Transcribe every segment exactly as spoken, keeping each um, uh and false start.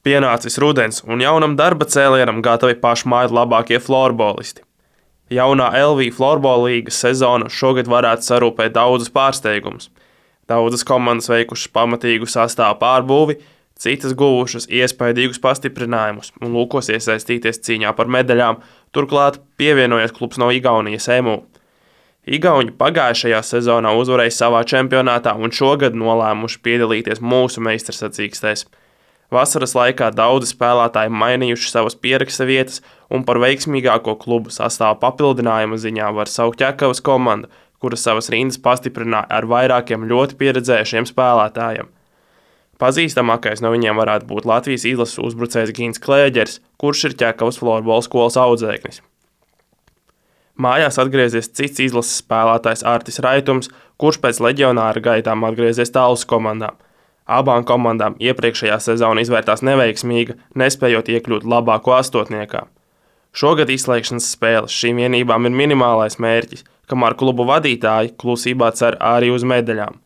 Pienācis rudens, un jaunam darba cēlienam gatavi pašmāju labākie florbolisti. Jaunā L V Florbola līgas sezona šogad varētu sarūpēt daudzus pārsteigumus. Daudzas komandas veikušas pamatīgu sastāvu pārbūvi, citas guvušas iespaidīgus pastiprinājumus un lūkos iesaistīties cīņā par medaļām, turklāt pievienojies klubs no Igaunijas E M U. Igauņi pagājušajā sezonā uzvarēja savā čempionātā un šogad nolēmuši piedalīties mūsu meistarsacīkstēs. Vasaras laikā daudzi spēlētāji mainījuši savas pieraksta vietas, un par veiksmīgāko klubu sastāvu papildinājuma ziņā var saukt Ķekavas komandu, kuras savas rindas pastiprināja ar vairākiem ļoti pieredzējušiem spēlētājiem. Pazīstamākais no viņiem varētu būt Latvijas izlases uzbrucējs Gins Klēģers, kurš ir Ķekavas florbola skolas audzēknis. Mājās atgriezies cits izlases spēlētājs Artis Raitums, kurš pēc leģionāra gaitām atgriezies Tallas komandā. Abām komandām iepriekšējā sezona izvērtās neveiksmīga, nespējot iekļūt labāko astotniekā. Šogad izslēgšanas spēles šīm vienībām ir minimālais mērķis, kamēr klubu vadītāji klusībā cer arī uz medaļām.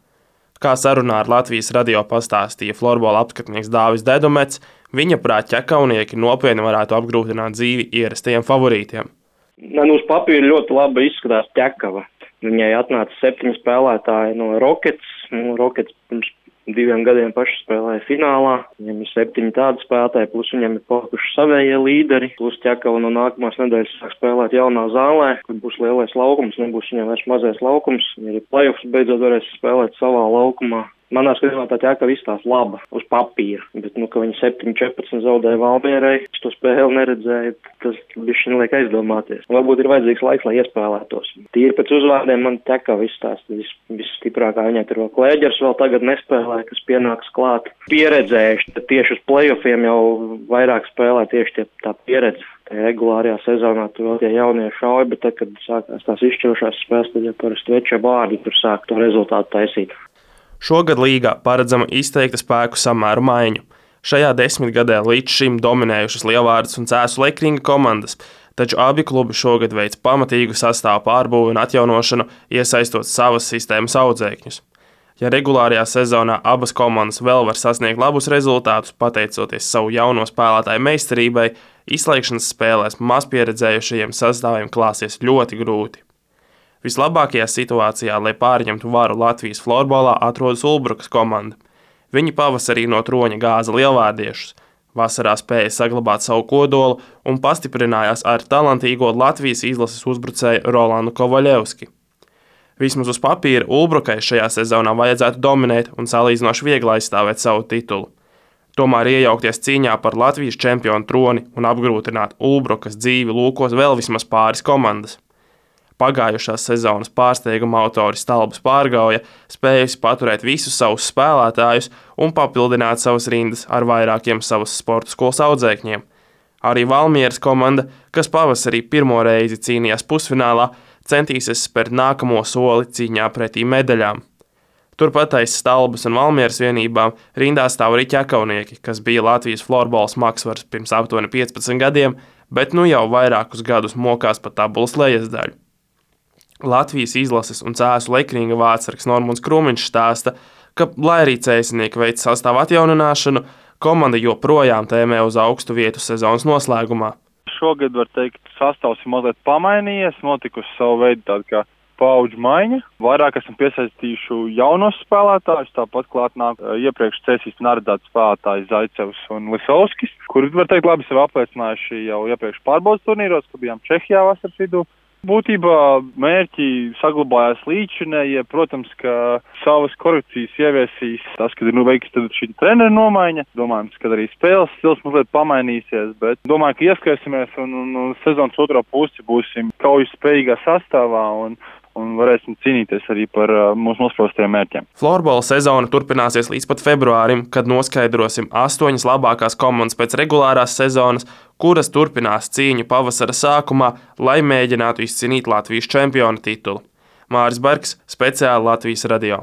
Kā sarunā ar Latvijas radio pastāstīja florbola apskatnieks Dāvis Dedumets, viņa prāt ķekaunieki nopietni varētu apgrūtināt dzīvi ierastajiem favorītiem. Man uz papīra ļoti labi izskatās Ķekava. Viņai atnāca septiņi spēlētāji no Rockets. Nu, Rockets pirms diviem gadiem paši spēlēja finālā. Viņam ir septiņi tādi spēlētāji, plus viņam ir palikuši savējie līderi. Plus Ķekava no nākamās nedēļas sāk spēlēt jaunā zālē, kur būs lielais laukums, nebūs viņam vairs mazais laukums. Viņi arī play-offs beidzot varēs spēlēt savā laukumā. Manā skatījumā tā Ķekava izstāsta laba uz papīra, bet, nu, ka viņi septiņi četrpadsmit zaudēja Valmierai, es to spēli neredzēju, tas bišķi liek aizdomāties. Varbūt ir vajadzīgs laiks, lai iespēlētos. Tīri pēc uzvārdiem man Ķekava izstāsta vis, visstiprākā, viņai tur vēl Klēģers vēl tagad nespēlē, kas pienāks klāt. Pieredzējuši, tad tieši uz play-offiem jau vairāk spēlē tieši tie, tā pieredze. Regulārajā sezonā tur vēl tie jaunie šauja, bet tad, kad sākās tās izšķirošās spēles, tad jau parasti veča vārdi tur sāk to rezultātu taisīt. Šogad līgā paredzama izteikta spēku samēru maiņu. Šajā desmitgadē līdz šim dominējušas Lielvārdes un Cēsu Lekringa komandas, taču abi klubi šogad veic pamatīgu sastāvu pārbūvi un atjaunošanu, iesaistot savas sistēmas audzēkņus. Ja regulārajā sezonā abas komandas vēl var sasniegt labus rezultātus, pateicoties savu jauno spēlētāju meistarībai, izslēgšanas spēlēs mazpieredzējušajiem sastāviem klāsies ļoti grūti. Vislabākajā situācijā, lai pārņemtu varu Latvijas florbolā, atrodas Ulbrukas komanda. Viņi pavasarī no troņa gāza lielvārdiešus, vasarā spēja saglabāt savu kodolu un pastiprinājās ar talantīgo Latvijas izlases uzbrucēju Rolandu Kovaļevski. Vismaz uz papīra Ulbrukai šajā sezonā vajadzētu dominēt un salīdzinoši viegli aizstāvēt savu titulu. Tomēr iejaukties cīņā par Latvijas čempionu troni un apgrūtināt Ulbrukas dzīvi lūkos vēl vismaz pāris komandas. Pagājušās sezonas pārsteiguma autoris Stalbis Pārgauja spējusi paturēt visus savus spēlētājus un papildināt savas rindas ar vairākiem savas sporta skolas audzēkņiem. Arī Valmieras komanda, kas pavasarī pirmo reizi cīnījās pusfinālā, centīsies spērt nākamo soli cīņā pretī medaļām. Turpat aiz Stalbas un Valmieras vienībām rindā stāv arī ķekaunieki, kas bija Latvijas florbola smagsvars pirms aptuveni piecpadsmit gadiem, bet nu jau vairākus gadus mokās pa tabulas lejasdaļu. Latvijas izlases un Cēsu Lekringa vārdsargs Normunds Krūmiņš stāsta, ka, lai arī cēsinieki veic sastāvu atjaunināšanu, komanda joprojām tēmē uz augstu vietu sezonas noslēgumā. Šogad, var teikt, sastāvs ir mazliet pamainījies, notikusi savu veidu tāda kā paudžu maiņa. Vairāk esam piesaistījuši jaunos spēlētājus, tāpat klāt nāk iepriekš cēsīs neredzēts spēlētājs Zaicevs un Lisovskis, kuri, var teikt, labi sev apliecinājuši jau iepriekš pārbaudas turnīros, kad bijām Čehijā vasaras vidū. Būtībā mērķi saglabājās līdzinējie, protams, ka savas korekcijas ieviesīs tas, kad ir nu veiks tad šī trenera nomaiņa. Domājams, ka arī spēles stils mazliet pamainīsies, bet domāju, ka ieskaisamies un, un, un sezonas otrā pusi būsim kaujas spējīgā sastāvā un, un varēsim cīnīties arī par uh, mūsu nospraustajiem mērķiem. Florbola sezona turpināsies līdz pat februārim, kad noskaidrosim astoņas labākās komandas pēc regulārās sezonas, kuras turpinās cīņu pavasara sākumā, lai mēģinātu izcīnīt Latvijas čempiona titulu. Māris Bergs, speciāli Latvijas radio.